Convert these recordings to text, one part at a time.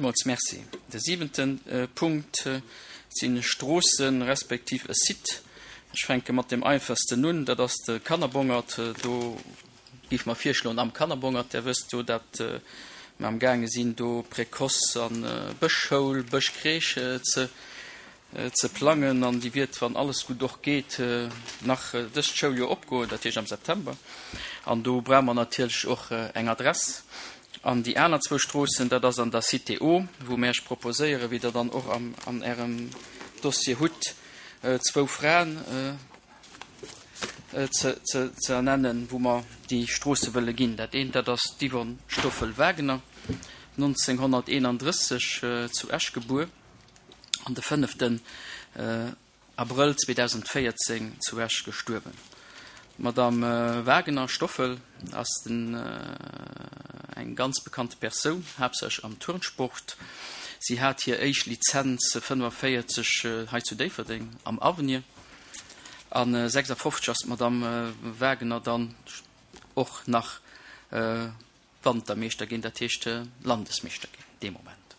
Villmools Merci. De siwente Punkt si Stroossen, respektiv e Site. Ech fänke mat deem einfachsten un, dat ass de Kannerbongert. Do géife mer virschloen, am Kannerbongert, Där wësst jo, dat mer amgaange sinn, do Précoce a Bëschschoul, Bëschcrèche ze ze plangen an déi wiert, wann alles gutt och geet, nach dëst Schouljoer opgoen, dat heescht am September. An do brauche mer natierlech och eng Adress. An déi aner zwou Stroossen, dat ass an der Cité O, wou mir Iech proposéieren, wéi Der dann och an Ärem Dossier hutt, zwou Fraen ze ernennen, wou mer déi Stroosse wëlle ginn. Dat eent, dat ass d'Yvonne Stoffel-Wagener, 1931 zu Esch gebuer, an de fënneften Abrëll 2014 zu Esch gestuerwen. D'Madame Wagener-Stoffel ass den eng ganz bekannte Persoun, haaptsächlech am Turnsport. Si hat hir éischt Lizenz 45 hei zu Déifferdeng am Avenir an 56 ass d'Madame Wagener dann och nach Wantermeeschter ginn, dat heescht Landesmeeschter ginn dee Moment.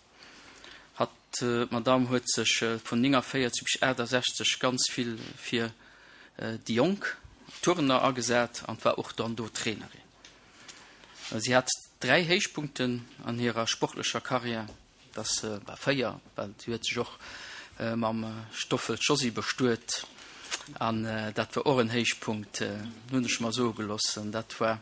Hatt, d'Madame, huet sech vun 49 bis 68 ganz vill fir déi jonk Turner agesat an war och dann do Trainerin. Si hat 3 Héichpunkten an hirer sportlecher Karriär. Dass war 4, well si huet sech och mam Stoffel Josy bestuet an dat war och en Héichpunkt, hunn ech mer soe gelooss, an dat war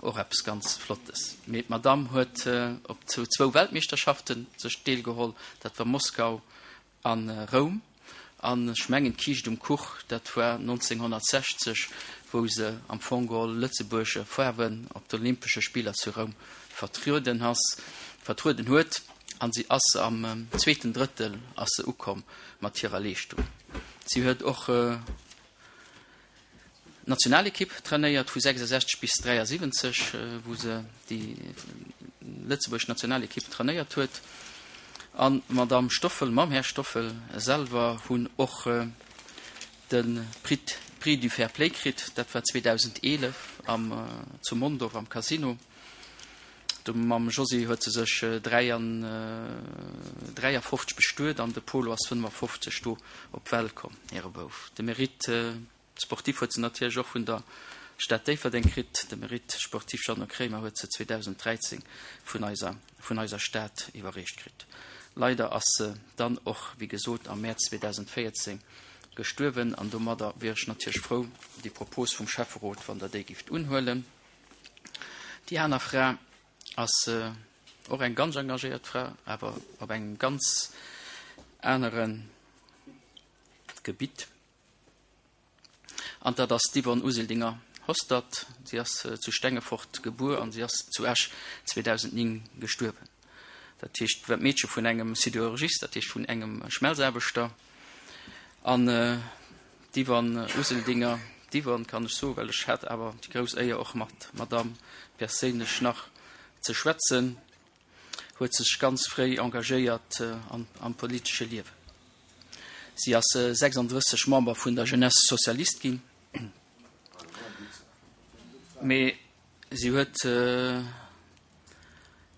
och eppes ganz Flottes. Mee d'Madamm huet op zwou Weltmeeschterschafte sech deelgeholl, dat war Moskau a Roum, an ech mengen d'Kiischt um Kuch, dat war 1960, wou se am Fong geholl Lëtzebuerger Faarwen op de Olympesche Spiller zu Roum vertrueden ass, vertrueden huet. An si ass am zweeten Drëttel ass se ukomm mat hirer Leeschtung. Si huet och D'Nationalekipp trainéiert vu 66 bis 73, wou se déi lëtzebuergesch Nationalekipp trainéiert huet. An d'Madamm Stoffel mam Här Stoffel selwer hunn och de Prix Prix du Fair Play kritt. Dat war 2011 am zu Mondorf am Casino. Do mam Josy huet se sech 53 bestuet an de Polo ass 55 do op d'Welt komm, hire Bouf. De Mérite Sportif huet se natierlech och vun der Stad Déifferdeng kritt. De Mérite sportif Jeannot Kremer huet se 2013 vun eiser vun eiser Stad iwwerreecht kritt. Leider ass se dann och, wéi gesot, am Mäerz 2014 gestuerwen an domadder wier ech natierlech frou, déi Propos vum Schäfferot, wann Der déi gift unhuelen. Déi aner Fra ass och eng ganz engagéiert Fra, awer op engem ganz anere Gebitt. An dat ass d'Yvonne Useldinger-Hostert. Si ass zu Stengefort gebuer an si ass zu Esch 2009 gestuerwen. Dat heescht, war d'Meedche vun engem Sidérurgist, dat heescht vun engem Schmelzaarbechter. An d'Yvonne Useldinger, d'Yvonne kann ech soen, well ech hat awer déi grouss Éier och mat der Madamm perséinlech nach ze schwätzen, huet sech ganz fréi engagéiert am politesche Liewen. Si ass 36 Member vun der Jeunesse Socialiste ginn, mee si huet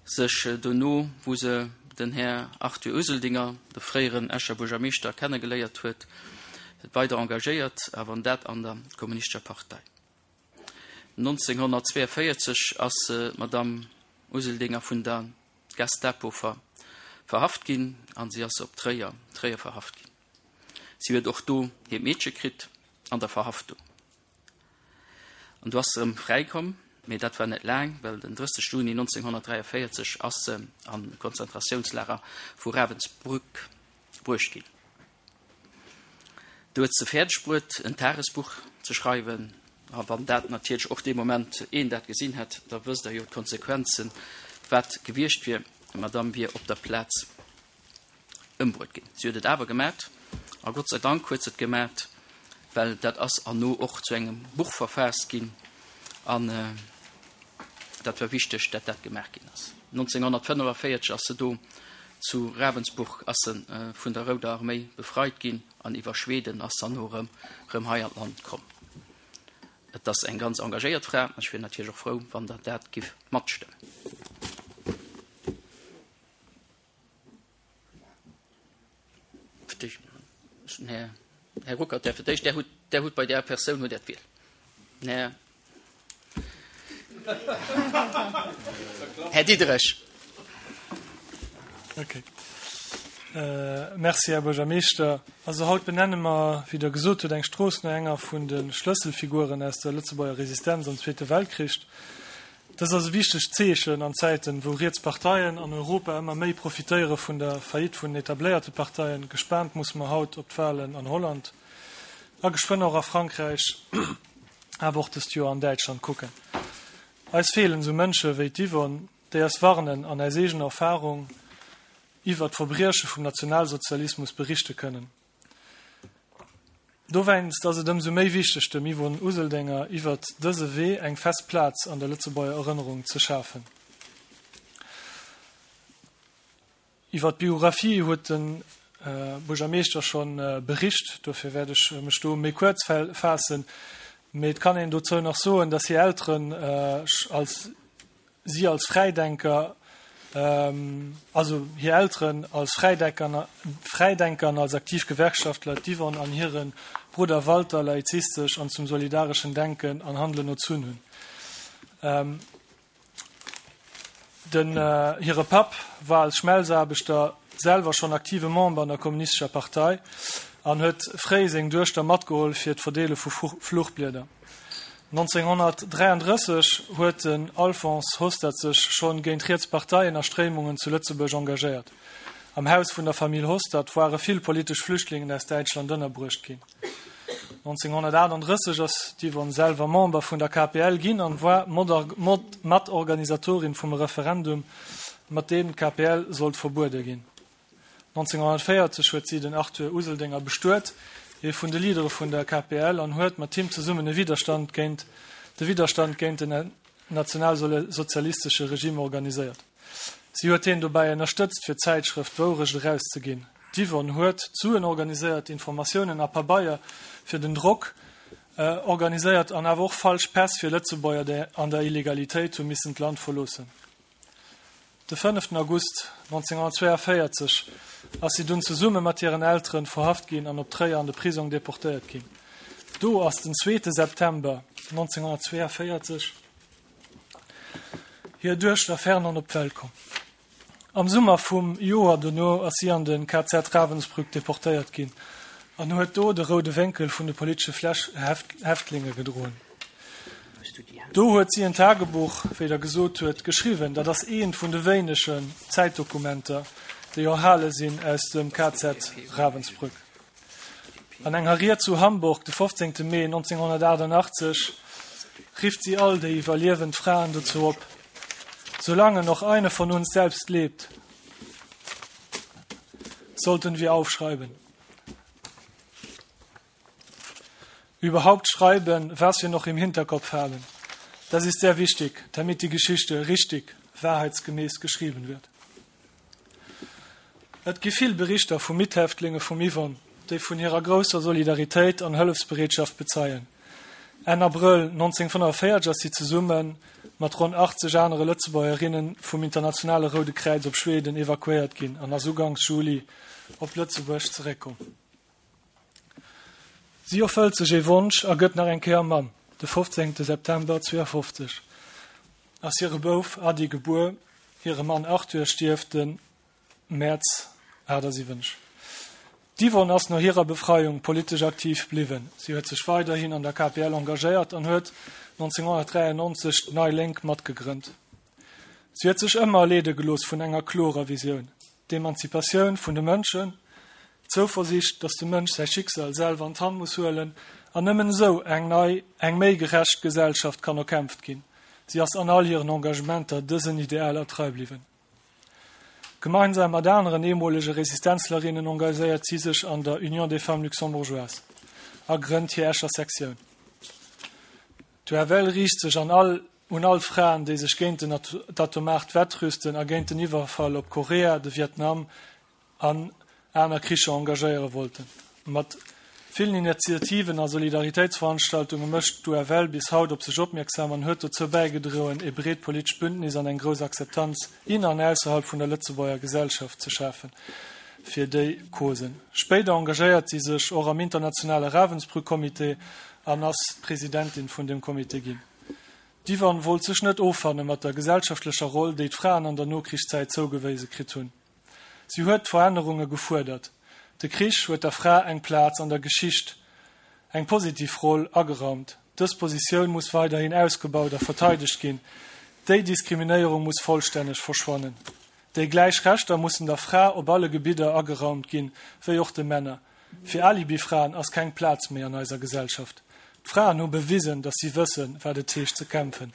sech dono, wou se den Här Arthur Useldinger, de fréieren Escher Buergermeeschter, kennegeléiert huet, weider engagéiert, awer dat an der Kommunistescher Partei. 1942 ass d'Madamm Useldinger vun der Gestapo verhaft ginn an si ass op Tréier Tréier verhaft ginn. Si huet och do hiert Meedche kritt an der Verhaftung. An du ass se erëm fräi komm, mee dat war net laang, well den 30 Juni 1943 ass se an Konzentratiounslager vu Ravensbrück bruecht ginn. Do huet se fäerdeg bruet, en Tagesbuch ze schreiwen. A wann dat natierlech och dee Moment een dat gesinn hätt, da wësst Der jo d'Konsequenzen, wat gewiescht wier. D'Madame wier op der Plaz ëmbruet ginn. Si huet et awer gemat, a Gott sei Dank huet se et gemat, well dat ass erno och zu engem Buch verfaasst ginn. An dat war wichteg, dat dat gemaach ginn ass. 1945 ass se do zu Ravensburg ass se vun der Rouder Arméi befreit ginn an iwwer Schweden ass se erno erëm erëm hei an d'Land komm. Et ass eng ganz engagéiert Fra an ech wier natierlech och frou, wann Der dat giff matstëmmen. 50. Här, Här Ruckert, Där fir d'éischt, Där hutt, Där hutt bei där Persoun hutt Där d'Wiel. Här, Här Diderich. Okay. Merci, Här Buergermeeschter. Also haut benenne mer, wéi Der gesot hutt, eng Strooss no enger vun de Schlësselfiguren aus der Lëtzebuerger Resistenz am Zweete Weltkrich. Dëst ass e wichtegt Zeechen an Zäiten, wou riets Parteien an Europa ëmmer méi profitéiere vun der Faillite vun den etabléierte Parteien. Gespaant musse mer haut op d'Walen an Holland a geschwënn och a Frankräich, awer och dëst Joer an Däitschland kucken. Eis feelen esou Mënsche wéi d'Yvonne, déi eis warnen an aus eegener Erfarung iwwer d'Verbrieche vum Nationalsozialismus berichte kënnen. Dowéinst ass et ëmsou méi wichteg, dem Yvonne Useldinger iwwert dëse Wee eng fest Plaz an der Lëtzebuerger Erënnerung ze schafen. Iwwer d'Biographie huet de Buergermeeschter scho bericht, dofir wäert ech mech do méi kuerz faassen. Mee et kann een dozou nach soen, datt hir Elteren als Si als Fräidenker, also hir Elteren als Fräidenker, Fräidenker an als aktiv Gewerkschaftler, d'Yvonne an hire Brudder Walter laizistesch an zum solidareschen Denken an Handelen erzunn hunn. Den hire Papp war als Schmelzaarbechter selwer schonn aktive Member an der Kommunistescher Partei an huet fréi seng Duechter matgeholl fir d'Verdeele vu Fluchblieder. 1933 huet den Alphonse Hostert sech schonn géint riets Parteien a Stréimungen zu Lëtzebuerg engagéiert. Am Haus vun der Famill Hostert ware vill politesch Flüchtlingen aus Däitschland ënnerbruecht ginn. 1938 ass d'Yvonne selwer Member vun der KPL ginn an war Matorganisatorin vum Referendum, mat deem d'KPL sollt verbuede ginn. 1940 huet si den Arthur Useldinger bestuet, ee vun de Leadere vun der KPL, an huet mat him zesummen e Widerstand géint de Widderstand géint den nationalsozialistesche Regime organiséiert. Si huet hien dobäi ënnerstëtzt, fir d'Zäitschrëft D'Wourecht erauszeginn. D'Yvonne huet d'Suen organiséiert, Informatiounen a Pabeier fir den Drock organiséiert an awer och falsch Päss fir Lëtzebuerger, déi an der Illegalitéit hu missen d'Land verloossen. De fënneften August 1942 ass si dunn zesumme mat hiren Elteren verhaft ginn an op Tréier an de Prisong deportéiert ginn. Do ass den zweete September 1942 hir Duechter Fernande op d'Welt komm. Am Summer vum Joer dono ass si an de KZ Ravensbrück deportéiert ginn an huet do de roude Wénkel vun de politesche Häftlinge gedroen. Do huet si en Tagebuch, wéi Der gesot huet, geschriwwen. Dat ass eent vun de wéinegen Zäitdokumenter, déi erhale sinn aus dem KZ Ravensbrück. An enger Ried zu Hamburg de 15. Mee 1988 rifft si all déi iwwerliewend Fraen dozou op, Solange noch eine von uns selbst lebt, sollten wir aufschreiben. Überhaupt schreiben, was wir noch im Hinterkopf haben. Das ist sehr wichtig, damit die Geschichte richtig, wahrheitsgemäß geschrieben wird. Et gi vill Berichter vu Mithäftlinge vum Yvonne, déi vun hirer grousser Solidaritéit an Hëllefsbereetschaft bezeien. Enn Abrëll 1945 ass si zesumme mat ronn 80 anere Lëtzebuergerinne vum Internationale Roude Kräiz op Schweden evakuéiert ginn an ass uganks Juli op Lëtzebuerg zeréckkomm. Si erfëllt sech ee Wonsch a gëtt nach eng Kéier Mamm, de 15 September 52 ass hire Bouf Ady gebuer, hire Mann Arthur stierft de Mäerz 78. D'Yvonne ass no hirer Befreiung politesch aktiv bliwwen. Si huet sech weiderhin an der KPL engagéiert an huet 1993 d'Nei Lénk matgegrënnt. Si huet sech ëmmer leede gelooss vun enger klorer Visioun, d'Emanzipatioun vun de Mënschen, d'Zouversiicht, datt de Mënsch säi Schicksal selwer an d'Hand muss huelen an nëmmen esou eng nei, eng méi gerecht Gesellschaft kann erkämpft ginn. Si ass an all hiren Engagementer dësen Idealer trei bliwwen. Gemeinsam mat aneren eemolege Resistenzlerinnen engagéiert si sech an der Union des Femmes Luxembourgeoises a grënnt hir Escher Sektioun. D'UFL riicht sech an all un all Fraen, déi sech géint den d'atomaart Wettrüsten a géint den Iwwerfall op Korea, de Vietnam an aner Kricher engagéiere wollten. Mat villen Initiativen a Solidaritéitsveranstaltunge mécht d'UFL bis haut op sech opmierksam an huet dozou bäigedroen, ee breet politescht Bündnis an eng grouss Akzeptanz in an ausserhalb vun der Lëtzebuerger Gesellschaft ze schafen. fir déi Causen. Spéider engagéiert si sech och am internationale Ravensbrück-Comité an ass d'Presidentin vun deem Comité ginn. D'Yvonne wollt sech net offanne mat der gesellschaftlecher Roll, déi d'Fraen an der Nokrichszäit zougewéise kritt hunn. Si huet Verännerunge gefuerdert. De Krich huet der Fra eng Plaz an der Geschicht, eng positiv Roll, ageraumt. Dës Positioun muss weiderhin ausgebaut a verteidegt ginn. Déi Diskriminéierung muss vollstänneg verschwannen. Déi gläich Rechter mussen der Fra op alle Gebidder ageraumt ginn, wéi och de Männer. Fir Alibifraen ass keng Plaz méi an eiser Gesellschaft. D'Fraen hu bewisen, datt si wëssen, wat et heescht ze kämpfen,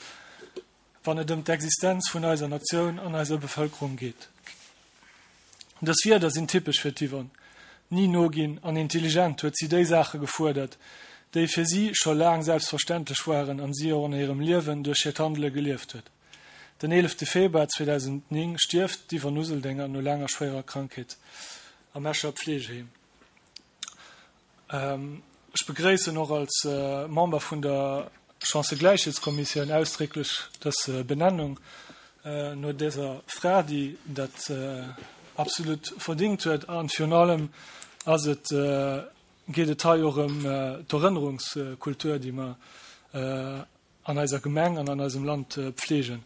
wann et ëm d'Existenz vun eiser Natioun an eiser Bevëlkerung geet. Dës Wierder sinn typesch fir d'Yvonne. Ni noginn an intelligent huet si déi Saache gefuerdert, déi fir si scho laang selbstverständlech waren an si och an hirem Liewen duerch hiert Handele gelieft huet. Den 11 Februar 2009 stierft d'Yvonne Useldinger no laanger schwéierer Krankheet am Escher Pflegeheem. Ech begréissen och als Member vun der Chancëgläichheetskommissioun ausdrécklech dës Benennung no dëser Fra, déi dat absolut verdingt huet. A virun allem ass et, geet et hei och ëm d'Erënnerungskultur, déi mer an eiser Gemeng an an eisem Land pflegen.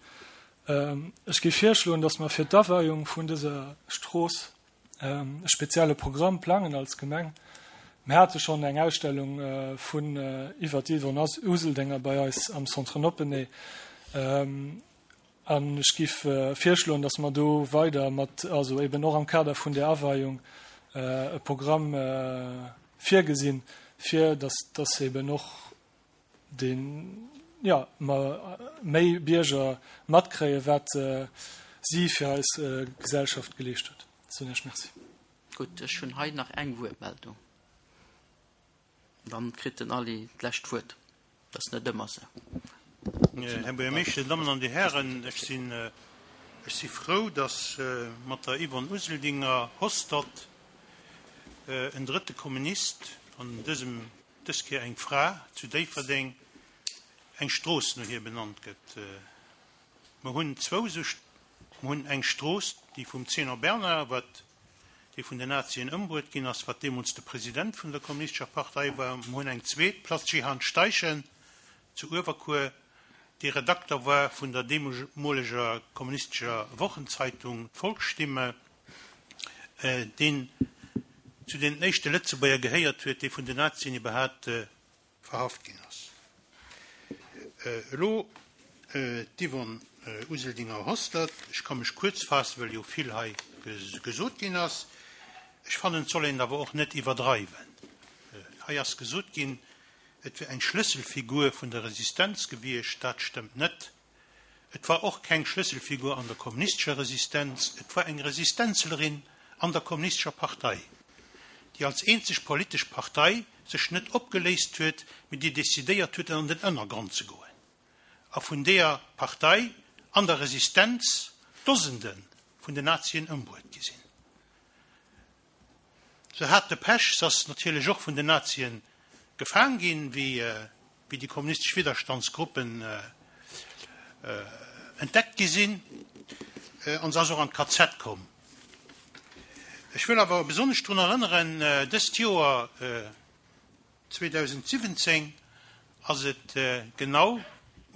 Ech géif virschloen, dass mer fir d'Aweiung vun dëser Strooss e spezielle Programm plangen als Gemeng. Mir hate schonn eng Ausstellung vun iwwer d'Yvonne Useldinger bei eis am Centre Noppeney. An ech géif virschloen, dass mer do weider mat, also eben och am Kader vun där Aweiung, e Programm virgesinn, fir dass dass eben och deen, jo, mer méi Bierger matkréien, wat si fir eis Gesellschaft geleescht huet. Soen Iech Merci. Gutt, ech hunn hei nach eng Wuertmeldung. Dann kritt den Aly d'lescht Wuert. Dat ass net ëmmer esou. Här Buergermeeschter, Dir Dammen an Dir Hären, ech sinn, ech si frou, dass mat der Yvonne Useldinger-Hostert en drëtte Kommunist, an dësem dës Kéier eng Fra, zu Déifferdeng eng Strooss no hir benannt gëtt. Mer hunn zwou esou, mer hunn eng Strooss, déi vum Zénon Bernard, wat, dee vun den Nazien ëmbruet ginn ass, wat deemools de President vun der Kommunistescher Partei war. Mer hunn eng zweet, Place Jehan Steichen zu Uewerkuer, dee Redakter war vun der deemoleger kommunistescher Wochenzeitung D'Volksstimme. deen zu den éischte Lëtzebuerger gehéiert huet, dee vun den Nazien iwwerhaapt verhaft ginn ass. Elo d'Yvonne Useldinger-Hostert. Ech ka mech kuerz faassen, well jo vill hei gesot ginn ass. Ech fannen, et soll een et awer och net iwwerdreiwen. Hei ass gesot ginn, et wier eng Schlësselfigur vun der Resistenz gewiescht. Dat stëmmt net. Et war och keng Schlësselfigur an der kommunistescher Resistenz, et war eng Resistenzlerin an der kommunistescher Partei, déi als eenzeg politesch Partei sech net opgeléist huet, mee déi decidéiert huet an den Ënnergrond ze goen a vun deeër Partei an der Resistenz Dosende vun den Nazien ëmbruet gi sinn. Se hat de Pech, se ass natierlech och vun den Nazien gefaang ginn, wéi déi kommunistesch Widderstandsgruppen entdeckt gi sinn, an se ass och an d'KZ komm. Ech wëll awer besonnesch drun erënneren, dëst Joer 2017 ass et genau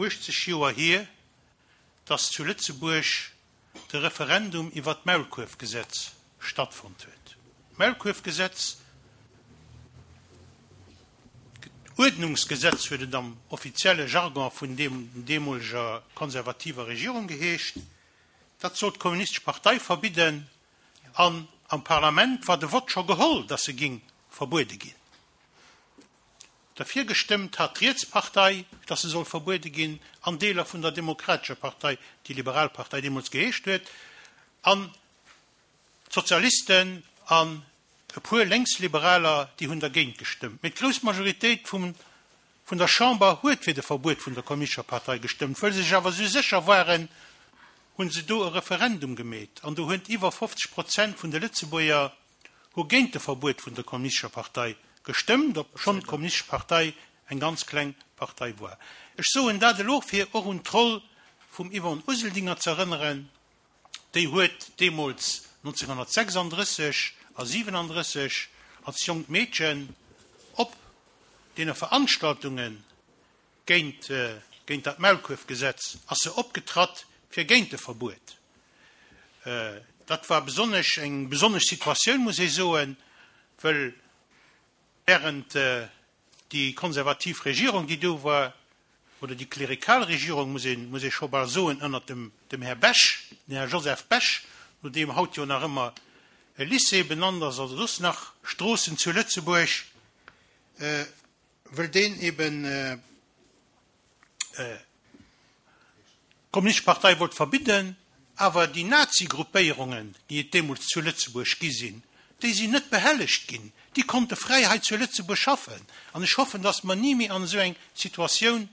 80 Joer hier, dass zu Lëtzebuerg de Referendum iwwer d'Maulkuerfgesetz stattfonnt huet. D'Maulkuerfgesetz, Uerdnungsgesetz huet et am offizielle Jargon vun deemoleger konservativer Regierung geheescht, dat sollt d'Kommunistesch Partei verbidden an am Parlament war de Vott scho geholl, datt se géing verbuede ginn. Derfir gestëmmt hat d'Rietspartei, datt se soll verbuede ginn, an Deeler vun der Demokratescher Partei, déi Liberal Partei deemools geheescht huet, an d'Sozialisten an e puer Lénksliberaler, déi hunn dergéint gestëmmt. Mee d'grouss Majoritéit vum vun der Chamber huet fir de Verbuet vun der Kommunistescher Partei gestëmmt. Wëll se sech awer esou sécher waren, hunn se do e Referendum gemeet, an do huet iwwer 50 Prozent vun de Lëtzebuerger hu géint de Verbuet vun der Kommunistescher Partei gestëmmt, obschonn d'Kommunistesch Partei eng ganz kleng Partei war. Ech soen dat elo, fir och un d'Roll vum Yvonne Useldinger z'erënneren. Déi huet deemools 1936. a 37 als jonkt Meedchen op deene Veranstaltunge géint géint dat Maulkuerfgesetz ass se opgetratt fir géint de Verbuet. Dat war besonnesch eng besonnesch Situatioun, muss ee soen, wëll während déi konservativ Regierung, déi do war, oder déi klerikal Regierung, muss ee muss ee scho bal soen, ënnert dem dem Här Bech, den Här Joseph Bech, no deem haut jo nach ëmmer e Lycée benannt ass, oder soss nach Stroossen zu Lëtzebuerg, wëll deen eben d'Kommunistesch Partei wollt verbidden, awer déi Nazi-Gruppéierungen, déi et deemools zu Lëtzebuerg gi sinn, déi sinn net behellegt ginn, déi konnte fräi hei zu Lëtzebuerg schaffen. An ech hoffen, datt mer ni méi an esou eng Situatioun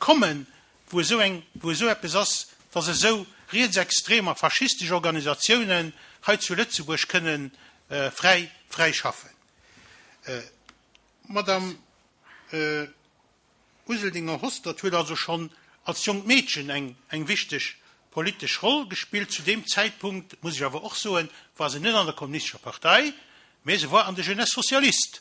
kommen, wou esou eng, wou esou eppes ass, datt esou rietsextrem a faschistesch Organisatiounen hei zu Lëtzebuerg kënnen fräi, fräi schaffen. D'Madame Useldinger-Hostert huet also schonn als jonkt Meedchen eng eng wichteg politesch Roll gespillt. Zu deem Zäitpunkt, muss ech awer och soen, war se net an der Kommunistescher Partei, mä se war an de Jeunesse Socialiste.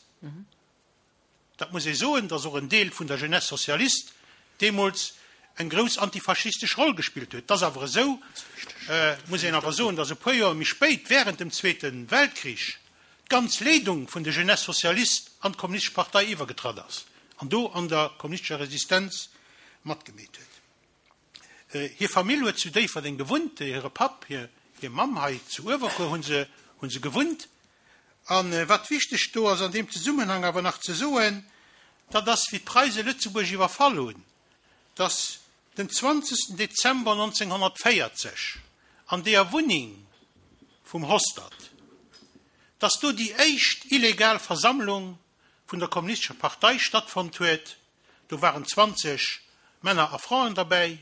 Dat muss ee soen, datt och en Deel vun der Jeunesse Socialiste deemools eng grouss antifaschistesch Roll gespillt huet. Et ass awer esou, muss een awer soen, datt e puer Joer méi spéit, während dem Zweete Weltkrich, d'ganz Leedung vun de Jeunesse Socialistes an d'Kommunistesch Partei iwwergetratt ass an do an der kommunistescher Resistenz matgemeet huet. Hir Famill huet zu Déifferdeng gewunnt, hire Papp, hir Mamm hei zu Uewerkuer hu se hu se gewunnt. A wat wichteg do ass an deem Zesummenhang awer nach ze soen, dat ass, wéi d'Preise Lëtzebuerg iwwerfall hunn, datt den 20. Dezember 1940 an deeër Wunneng vum Hostert, datt do déi éischt illegal Versammlung vun der Kommunistescher Partei stattfonnt huet. Do waren 20 Männer a Fraen derbäi,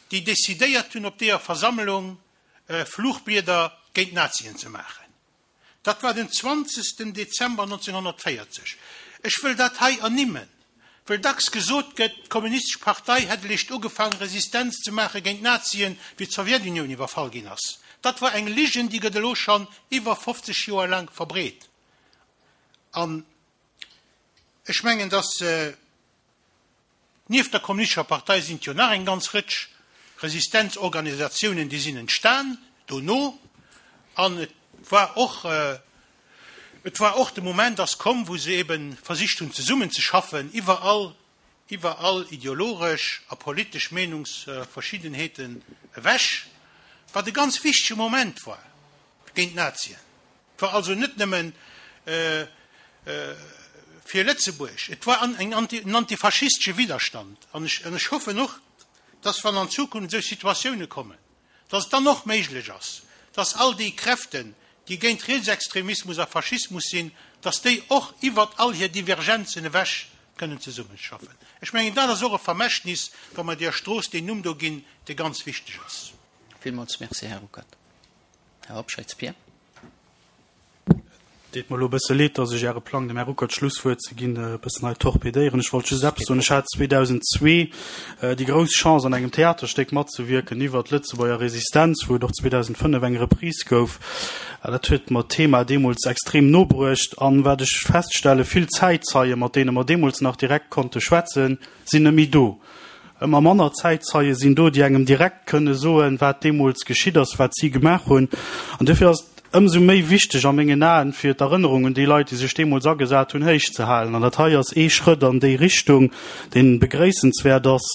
déi decidéiert hunn, op deeër Versammlung Fluchblieder géint d'Nazien ze maachen. Dat war den 20. Dezember 1940. Ech wëll dat hei ernimmen, wëll dacks gesot gëtt, d'Kommunistesch Partei hätt eréischt ugefaang, Resistenz ze maache géint d'Nazien, wéi d'Sowjetunioun iwwerfall ginn ass. Dat war eng Ligen, déi gëtt elo schonn iwwer 50 Joer laang verbreet. An ech mengen, dass. Nieft der Kommunistescher Partei sinn et jo nach eng ganz Rëtsch Resistenzorganisatiounen, déi sinn entstan dono. An et war och, et war och de Moment ass komm, wou se ebe versicht hunn zesummenzeschaffen iwwer all, iwwer all ideologesch a politesch Meenungsverschiddenheeten ewech, wat e ganz wichtege Moment war géint d'Nazien. Et war also net nëmmen fir Lëtzebuerg, et war en antifaschistesche Widderstand. An ech hoffen och, dass, wann an Zukunft esou Situatioune kommen, dass et dann och méiglech ass, dass all déi Kräften, déi géint Rietsextremismus a Faschismus sinn, dass déi och iwwert all hir Divergenzen ewech kënnen zesummeschaffen. Ech mengen, dat ass och e Vermächtnis, wa mer deer Strooss deen Numm do ginn, dee ganz wichteg ass. Villmools Merci, Här Ruckert. Här Hobscheit, Pierre. Deet mer elo e bësse leed, dass ech Äre Plang, dem Här Ruckert d'Schlusswuert ze ginn, e bëssen hei torpedéieren. Ech wollt just eppes soen. Ech hat 2002 déi grouss Chance, an engem Theaterstéck matzewierken iwwert d'Lëtzebuerger Resistenz, wou et och 2005 eng Reprise gouf. Dat huet mer d'Thema deemools extrem no bruecht. An wat ech feststellen, vill Zäitzeien, mat deene mer deemools nach direkt konnte schwätzen, sinn net méi do. Ëmmer manner Zäitzeie sinn do, déi engem direkt kënne soen, wat deemools geschitt ass, wat si gemaach hunn. An duerfir ass et ëmsou méi wichteg a mengen Aen, fir d'Erënnerung un déi Leit, déi sech deemools agesat hunn, héich ze halen. An dat hei ass ee Schrëtt an déi Richtung, dee begréissenswäert ass.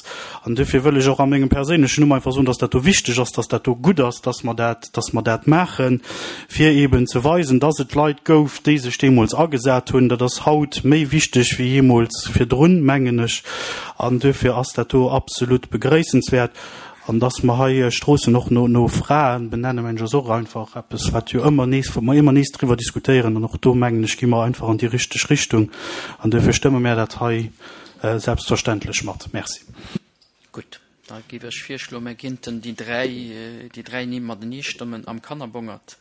An duerfir wëll ech och a mengem perséinlechen Numm einfach soen, dass dat do wichteg ass, dass dat do gutt ass, dass mer dat, dass mer dat maachen, fir eeben ze weisen, dass et Leit gouf, déi sech deemools agesat hunn. Dat ass haut méi wichteg wéi jeemools virdrun, mengen ech. An duerfir ass dat do absolut begréissenswäert. An dass mer hei Stroossen och no Fraen benennen, mengen ech, ass och einfach eppes, wat jo ëmmer nees, wou mer ëmmer nees driwwer diskutéieren. An och do, mengen ech, gi mer einfach an déi richteg Richtung. An duerfir stëmme mär dat hei selbstverständlech mat. Merci. Gutt, da géif ech virschloen, mir géinten déi dräi, déi dräi Nimm matenee stëmmen, Am Kannerbongert,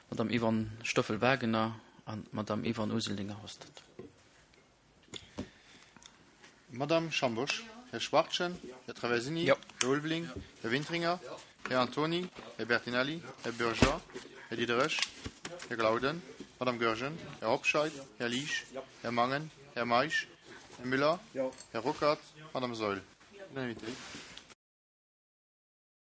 d'Madame Yvonne Stoffel-Wagener an d'Madame Yvonne Useldinger-Hostert. Madame Schambosch, Här Schwachtgen, Här Traversini, Här Ulveling, Här Wintringer, Här Antony, Här Bertinelli, Här Bourgeois, Här Diderich. Här Glauden, Madame Goergen, Här Hobscheit, Här Liesch, Här Mangen, Här Meisch, Här Müller, Här Ruckert, Madame Saeul. Unanimité.